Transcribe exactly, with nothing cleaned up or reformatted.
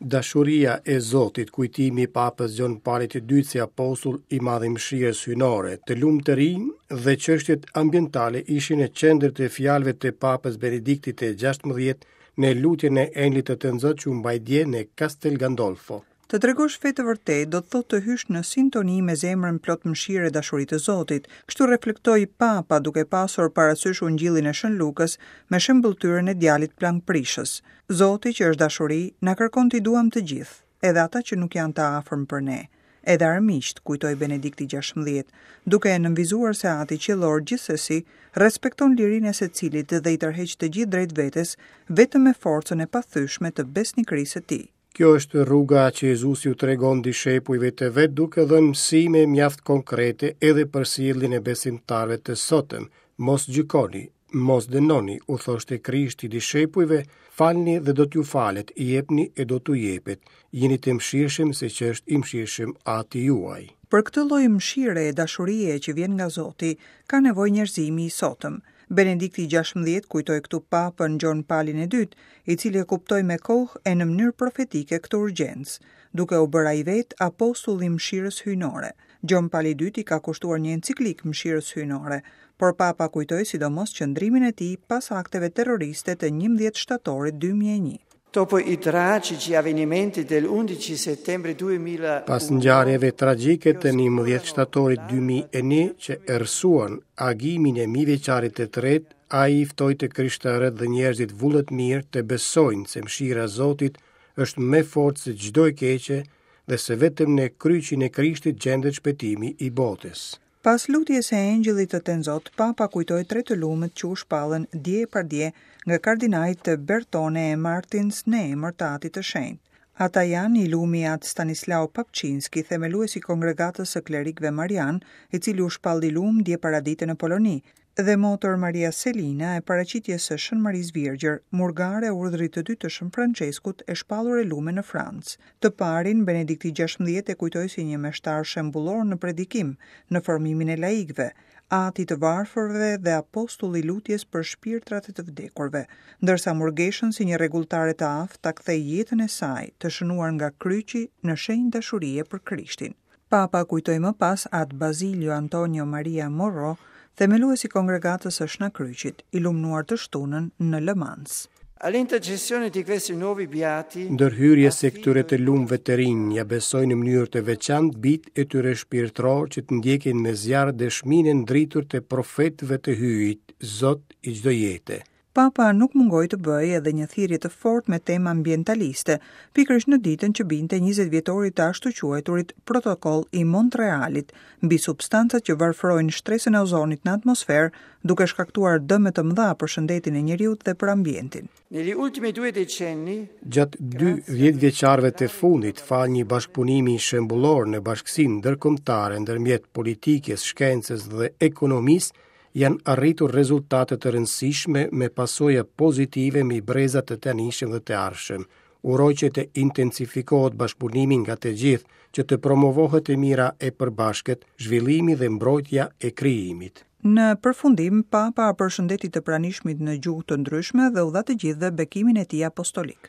Dashuria e Zotit, kujtimi i Papës Gjon Palit të Dytë si apostull i madh i mëshirës hyjnore, të lumtë të rinj dhe çështjet ambientale ishin në qendër të fjalëve të Papës Benediktit të gjashtëmbëdhjetë në lutjen e Engjëllit të Tënzot që u mbajt dje në Castel Gandolfo. Të tregosh fe të vërtetë do të thotë të hysh në sintoni me zemrën plot mëshirë e dashuri të Zotit. Kështu reflektoi Papa duke pasur parasysh Ungjillin e Shën Lukës me shembulltyrën e djalit plangprishës. Zoti që është dashuri, na kërkon t'i duam të gjithë, edhe ata që nuk janë të afërm për ne, edhe armiqt, kujtoi Benedikti gjashtëmbëdhjetë, duke e nënvizuar se Ati Qiellor gjithsesi respekton lirinë e secilit dhe i tërheq të gjithë drejt vetes vetëm me forcën e pathyeshme të besnikërisë së tij. Kjo është rruga që Jezusi u tregon dishepujve të vet duke dhënë mësime mjaft konkrete edhe për sjelljen e besimtarëve të sotëm. Mos gjykoni, mos dënoni, u thoshte Krishti dishepujve, falni dhe do t'ju falet, jepni e do t'u jepet. Jeni të mëshirshëm siç është i mëshirshëm Ati juaj. Për këtë lloj mëshire e dashurie që vjen nga Zoti, ka nevojë njerëzimi i sotëm. Benedikti gjashtëmbëdhjetë kujtoi këtu Papën Gjon Palin e Dytë, i cili e kuptoi me kohë e në mënyrë profetike këtë urgjencë, duke u bërë ai vetë apostull i mëshirës hyjnore. Gjon Pali i Dytë i ka kushtuar një enciklik mëshirës hyjnore, por Papa kujtoi sidomos qëndrimin e tij pas akteve terroriste të njëmbëdhjetë shtatorit dy mijë e një. Dopo i tragici avvenimenti del undici settembre duemila Pas ngjarjeve tragjike të njëmbëdhjetë shtatorit dy mijë e një që errësuan agimin e mijëvjeçarit të tretë, ai i ftoi të krishterët dhe njerëzit vullnetmirë të besojnë se mëshira e Zotit është më e fortë se çdo e keqe dhe se vetëm në kryqin e Krishtit gjendet shpëtimi i botës. Pas lutjes së Engjëllit të Tenzot, Papa kujtoi tre të lumët që u shpallën dje e pardje nga kardinajt Bertone e Martins në emër të Atit të Shenjtë. Ata janë i lumi At Stanislao Papçinski, themelues i kongregatës së klerikëve Marian, i cili u shpall i lum dje paradite në Poloni, dhe motër Maria Selina e paraqitjes së Shën Marisë Virgjër, murgare e urdhrit të dytë të Shën Franceskut e shpallur e lume në Francë. Të parin, Benedikti gjashtëmbëdhjetë e kujtoi si një meshtar shembullor në predikim, në formimin e laikëve, ati të varfërve dhe apostull i lutjes për shpirtrat e të vdekurve, ndërsa murgeshën si një rregulltare të aftë ta kthej jetën e saj, të shënuar nga kryqi në shenjë dashurie për Krishtin. Papa kujtoi më pas At Basilio Antonio Maria Morro, themelues i kongregatës së Shnakryqit, i lumnuar të shtunën në Le Mans. All'intercessione di questi nuovi beati, Ndërhyrjes së këtyre të lumëve të rinj ja besoj në mënyrë të veçantë bit e tyre shpirtëror që të ndjekin me zjarr dëshminë e ndritur të profetëve të Hyjit, Zot i çdo jete. Papa nuk mungoi të bëjë edhe një thirrje të fortë me temë ambientaliste, pikërisht në ditën që binte njëzet vjetorit të ashtu quajturit Protokoll i Montrealit mbi substancat që varfërojnë shtresën e ozonit në atmosferë, duke shkaktuar dëme të mëdha për shëndetin e njeriut dhe për ambientin. Negli ultimi due decenni, gjatë dy dhjetëvjeçarëve të fundit, fal një bashkëpunimi shembullor në bashkësinë ndërkombëtare ndërmjet politikës, shkencës dhe ekonomisë, janë arritur rezultate të rëndësishme me pasoja pozitive mbi brezat të tanishëm dhe të ardhshëm. Uroj që të intensifikohet bashkëpunimi nga të gjithë, që të promovohet e mira e përbashkët, zhvillimi dhe mbrojtja e krijimit. Në përfundim, Papa përshëndeti të pranishmit në gjuhë të ndryshme dhe u dha të gjithëve bekimin e tij apostolik.